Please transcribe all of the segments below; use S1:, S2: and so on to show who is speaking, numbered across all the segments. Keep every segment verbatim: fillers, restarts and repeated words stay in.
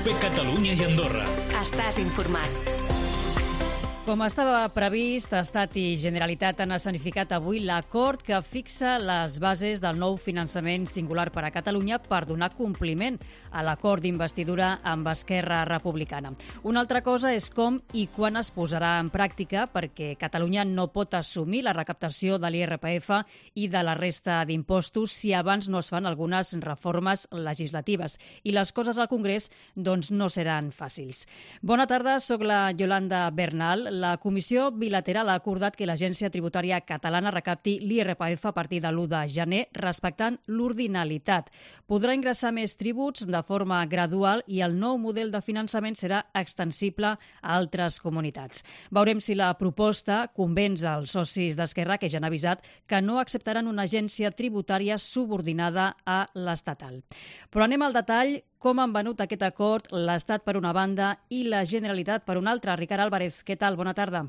S1: Cope Catalunya i Andorra.
S2: Estàs informat.
S3: Com estava previst, Estat i Generalitat han escenificat avui l'acord que fixa les bases del nou finançament singular per a Catalunya per donar compliment a l'acord d'investidura amb Esquerra Republicana. Una altra cosa és com i quan es posarà en pràctica, perquè Catalunya no pot assumir la recaptació de l'I R P F i de la resta d'impostos si abans no es fan algunes reformes legislatives. I les coses al Congrés doncs, no seran fàcils. Bona tarda, soc la Yolanda Bernal. La Comissió Bilateral ha acordat que l'Agència Tributària Catalana recapti l'I R P F a partir de l'u de gener, respectant l'ordinalitat. Podrà ingressar més tributs de forma gradual i el nou model de finançament serà extensible a altres comunitats. Veurem si la proposta convenç als socis d'Esquerra, que ja han avisat que no acceptaran una agència tributària subordinada a l'estatal. Però anem al detall. Com han venut aquest acord l'Estat per una banda i la Generalitat per una altra? Ricard Álvarez, què tal? Bona tarda.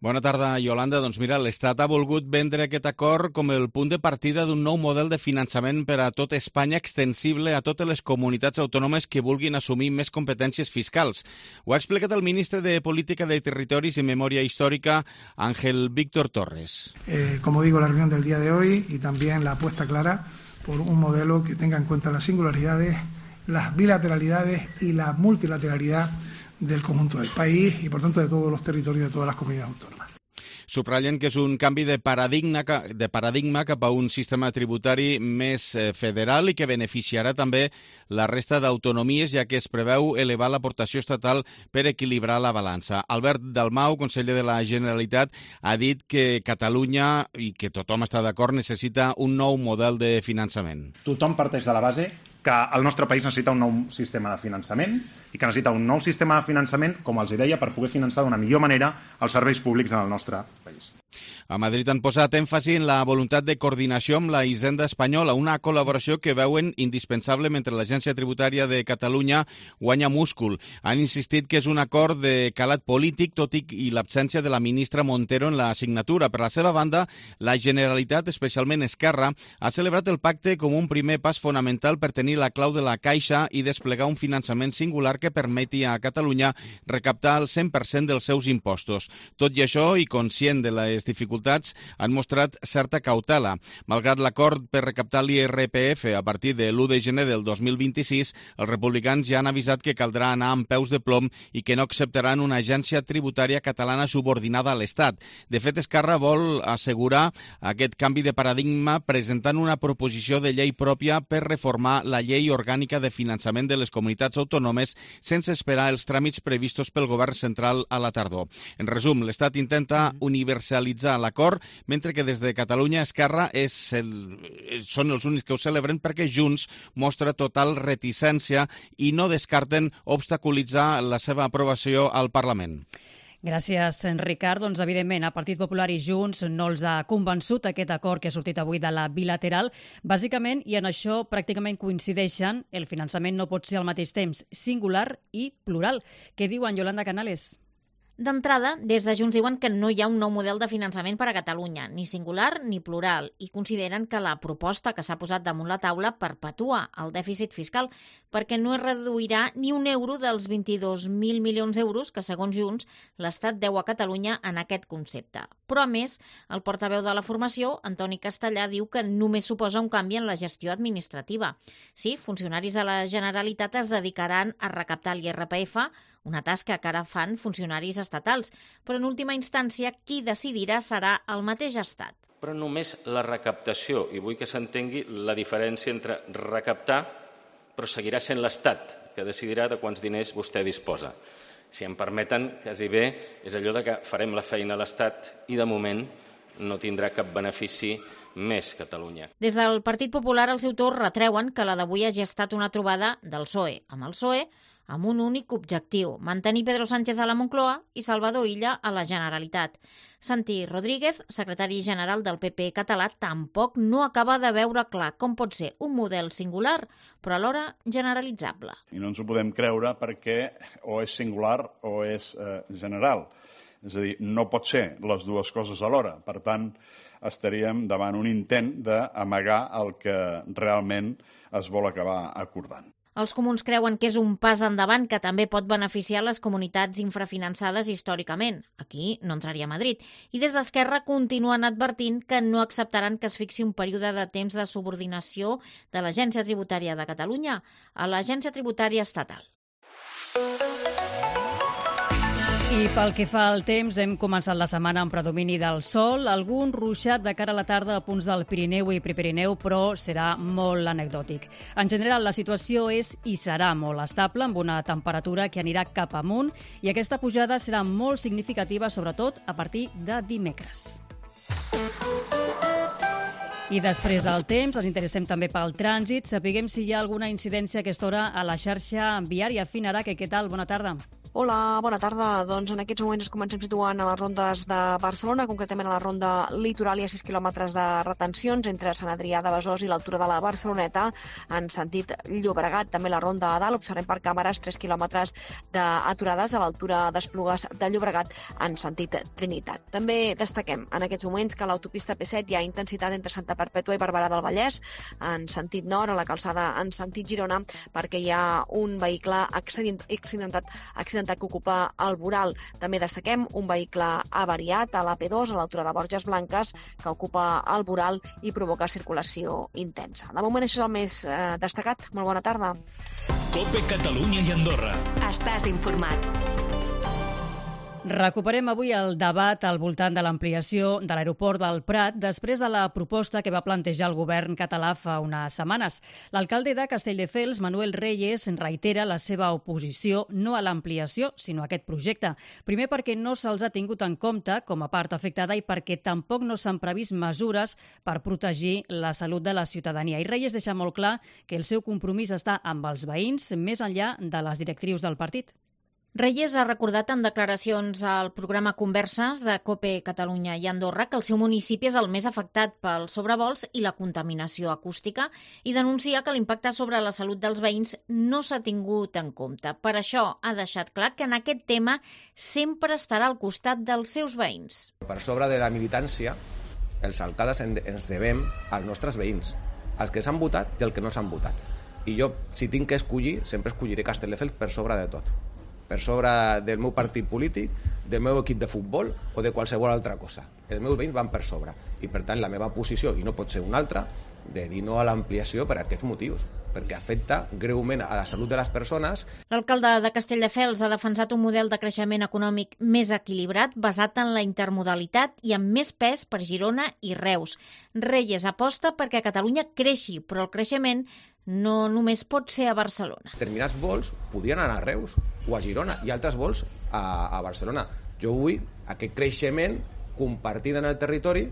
S4: Bona tarda, Yolanda. Doncs mira, l'Estat ha volgut vendre aquest acord com el punt de partida d'un nou model de finançament per a tot Espanya extensible a totes les comunitats autònomes que vulguin assumir més competències fiscals. Ho ha explicat el ministre de Política de Territoris y Memoria Histórica, Ángel Víctor Torres.
S5: Eh, como digo, la reunión del día de hoy y también la apuesta clara por un modelo que tenga en cuenta las singularidades, las bilateralidades y la multilateralidad del conjunto del país y, por tanto, de todos los territorios de todas las comunidades autónomas.
S4: Subratllen que és un canvi de paradigma, de paradigma cap a un sistema tributari més federal i que beneficiarà també la resta d'autonomies, ja que es preveu elevar l'aportació estatal per equilibrar la balança. Albert Dalmau, conseller de la Generalitat, ha dit que Catalunya, i que tothom està d'acord, necessita un nou model de finançament.
S6: Tothom parteix de la base que el nostre país necessita un nou sistema de finançament i que necessita un nou sistema de finançament, com els deia, per poder finançar d'una millor manera els serveis públics en el nostre país.
S4: A Madrid han posat èmfasi en la voluntat de coordinació amb la Hisenda espanyola, una col·laboració que veuen indispensable mentre l'Agència Tributària de Catalunya guanya múscul. Han insistit que és un acord de calat polític, tot i l'absència de la ministra Montero en la signatura. Per la seva banda, la Generalitat, especialment Esquerra, ha celebrat el pacte com un primer pas fonamental per tenir la clau de la caixa i desplegar un finançament singular que permeti a Catalunya recaptar el cent per cent dels seus impostos. Tot i això, i conscient de les dificultats, han mostrat certa cautela. Malgrat l'acord per recaptar l'I R P F a partir de l'u de gener del dos mil vint-i-sis, els republicans ja han avisat que caldrà anar amb peus de plom i que no acceptaran una agència tributària catalana subordinada a l'Estat. De fet, Esquerra vol assegurar aquest canvi de paradigma presentant una proposició de llei pròpia per reformar la llei orgànica de finançament de les comunitats autònomes sense esperar els tràmits previstos pel govern central a la tardor. En resum, l'Estat intenta universalitzar l'acord, mentre que des de Catalunya Esquerra és el, són els únics que ho celebren perquè Junts mostra total reticència i no descarten obstaculitzar la seva aprovació al Parlament.
S3: Gràcies, Ricard. Doncs, evidentment, a Partit Popular i Junts no els ha convençut aquest acord que ha sortit avui de la bilateral. Bàsicament, i en això pràcticament coincideixen, el finançament no pot ser al mateix temps singular i plural. Què diuen, Yolanda Canales?
S7: D'entrada, des de Junts diuen que no hi ha un nou model de finançament per a Catalunya, ni singular ni plural, i consideren que la proposta que s'ha posat damunt la taula perpetua el dèficit fiscal perquè no es reduirà ni un euro dels vint-i-dos mil milions d'euros que, segons Junts, l'Estat deu a Catalunya en aquest concepte. Però, a més, el portaveu de la formació, Antoni Castellà, diu que només suposa un canvi en la gestió administrativa. Sí, funcionaris de la Generalitat es dedicaran a recaptar l'I R P F, una tasca que ara fan funcionaris estatals, però en última instància qui decidirà serà el mateix Estat.
S8: Però només la recaptació, i vull que s'entengui la diferència entre recaptar, però seguirà sent l'Estat que decidirà de quants diners vostè disposa. Si em permeten, quasi bé, és allò de que farem la feina a l'Estat i de moment no tindrà cap benefici més Catalunya.
S7: Des del Partit Popular, al seu torn, retreuen que la d'avui hagi estat una trobada del P S O E amb el P S O E amb un únic objectiu, mantenir Pedro Sánchez a la Moncloa i Salvador Illa a la Generalitat. Santi Rodríguez, secretari general del P P català, tampoc no acaba de veure clar com pot ser un model singular, però alhora generalitzable.
S9: I no ens ho podem creure perquè o és singular o és eh, general. És a dir, no pot ser les dues coses alhora. Per tant, estaríem davant un intent d'amagar el que realment es vol acabar acordant.
S7: Els comuns creuen que és un pas endavant que també pot beneficiar les comunitats infrafinançades històricament. Aquí no entraria Madrid. I des d'Esquerra continuen advertint que no acceptaran que es fixi un període de temps de subordinació de l'Agència Tributària de Catalunya a l'Agència Tributària Estatal.
S3: I pel que fa al temps, hem començat la setmana amb predomini del sol, algun ruixat de cara a la tarda a punts del Pirineu i Prepirineu, però serà molt anecdòtic. En general, la situació és i serà molt estable, amb una temperatura que anirà cap amunt, i aquesta pujada serà molt significativa, sobretot a partir de dimecres. I després del temps, ens interessem també pel trànsit. Sapiguem si hi ha alguna incidència a aquesta hora a la xarxa viària. Finarà, que què tal? Bona tarda.
S1: Hola, bona tarda. Doncs en aquests moments ens comencem situant a les rondes de Barcelona, concretament a la ronda litoral. Hi ha sis quilòmetres de retencions entre Sant Adrià de Besòs i l'altura de la Barceloneta en sentit Llobregat. També la ronda a dalt, observem per càmeres tres quilòmetres d'aturades a l'altura d'Esplugues de Llobregat en sentit Trinitat. També destaquem en aquests moments que a l'autopista P set hi ha intensitat entre Santa Perpètua i Barberà del Vallès en sentit nord, a la calçada en sentit Girona, perquè hi ha un vehicle accidentat, accidentat que ocupa el voral. També destaquem un vehicle avariat a la P dos a l'altura de Borges Blanques que ocupa el voral i provoca circulació intensa. De moment això és el més eh, destacat. Molt bona tarda.
S2: COPE Catalunya i Andorra.
S10: Estàs informat.
S3: Recuperem avui el debat al voltant de l'ampliació de l'aeroport del Prat després de la proposta que va plantejar el govern català fa unes setmanes. L'alcalde de Castelldefels, Manuel Reyes, reitera la seva oposició no a l'ampliació, sinó a aquest projecte. Primer perquè no se'ls ha tingut en compte com a part afectada i perquè tampoc no s'han previst mesures per protegir la salut de la ciutadania. I Reyes deixa molt clar que el seu compromís està amb els veïns, més enllà de les directrius del partit.
S7: Reyes ha recordat en declaracions al programa Converses de COPE Catalunya i Andorra que el seu municipi és el més afectat pels sobrevols i la contaminació acústica i denuncia que l'impacte sobre la salut dels veïns no s'ha tingut en compte. Per això ha deixat clar que en aquest tema sempre estarà al costat dels seus veïns.
S11: Per sobre de la militància, els alcaldes ens devem als nostres veïns, als que s'han votat i als que no s'han votat. I jo, si tinc que escollir, sempre escolliré Castelldefels per sobre de tot. Per sobre del meu partit polític, del meu equip de futbol o de qualsevol altra cosa. Els meus veïns van per sobre i, per tant, la meva posició, i no pot ser una altra, de dir no a l'ampliació per aquests motius, perquè afecta greument a la salut de les persones.
S7: L'alcalde de Castelldefels ha defensat un model de creixement econòmic més equilibrat, basat en la intermodalitat i amb més pes per Girona i Reus. Reyes aposta perquè Catalunya creixi, però el creixement no només pot ser a Barcelona.
S11: Determinats vols podrien anar a Reus o a Girona i altres vols a, a Barcelona. Jo vull aquest creixement compartit en el territori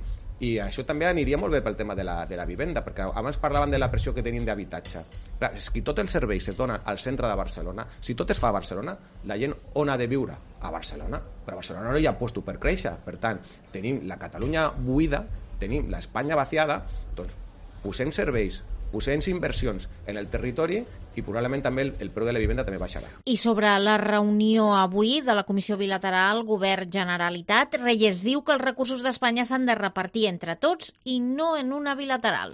S11: i això també aniria molt bé pel tema de la, de la vivenda, perquè abans parlaven de la pressió que tenim d'habitatge. Clar, si tot el servei es dona al centre de Barcelona, si tot es fa a Barcelona, la gent on ha de viure? A Barcelona. Però a Barcelona no hi ha lloc per créixer. Per tant, tenim la Catalunya buida, tenim l'Espanya vaciada, doncs posem serveis, posem inversions en el territori i probablement també el, el preu de la vivenda també baixarà.
S7: I sobre la reunió avui de la Comissió Bilateral Govern-Generalitat, Reyes diu que els recursos d'Espanya s'han de repartir entre tots i no en una bilateral.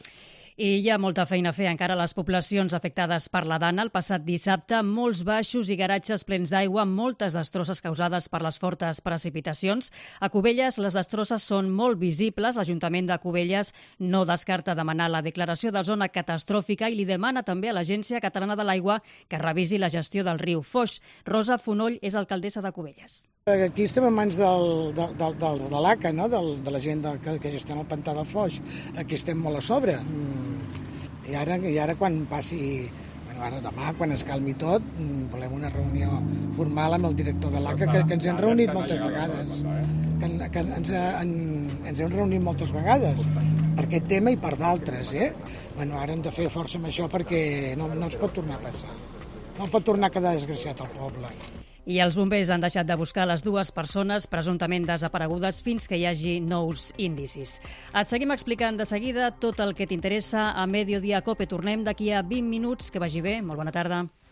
S3: I hi ha molta feina a fer encara a les poblacions afectades per la Dana. El passat dissabte, molts baixos i garatges plens d'aigua, moltes destrosses causades per les fortes precipitacions. A Cubelles les destrosses són molt visibles. L'Ajuntament de Cubelles no descarta demanar la declaració de zona catastròfica i li demana també a l'Agència Catalana de l'Aigua que revisi la gestió del riu Foix. Rosa Fonoll és alcaldessa de Cubelles.
S12: Aquí estem en mans del, del, del, dels de l'A C A, no? del, de la gent del, que, que gestiona el pantà del Foix. Aquí estem molt a sobre. I ara, i ara quan passi, bueno, ara demà, quan es calmi tot, volem una reunió formal amb el director de l'A C A, que, que ens hem reunit moltes vegades. Que, que ens, en, ens hem reunit moltes vegades per aquest tema i per d'altres. Eh? Bueno, ara hem de fer força amb això perquè no, no ens pot tornar a passar. No pot tornar a quedar desgraciat al poble.
S3: I els bombers han deixat de buscar les dues persones presumptament desaparegudes fins que hi hagi nous indicis. Et seguim explicant de seguida tot el que t'interessa a Mediodía Cope. Tornem d'aquí a vint minuts. Que vagi bé. Molt bona tarda.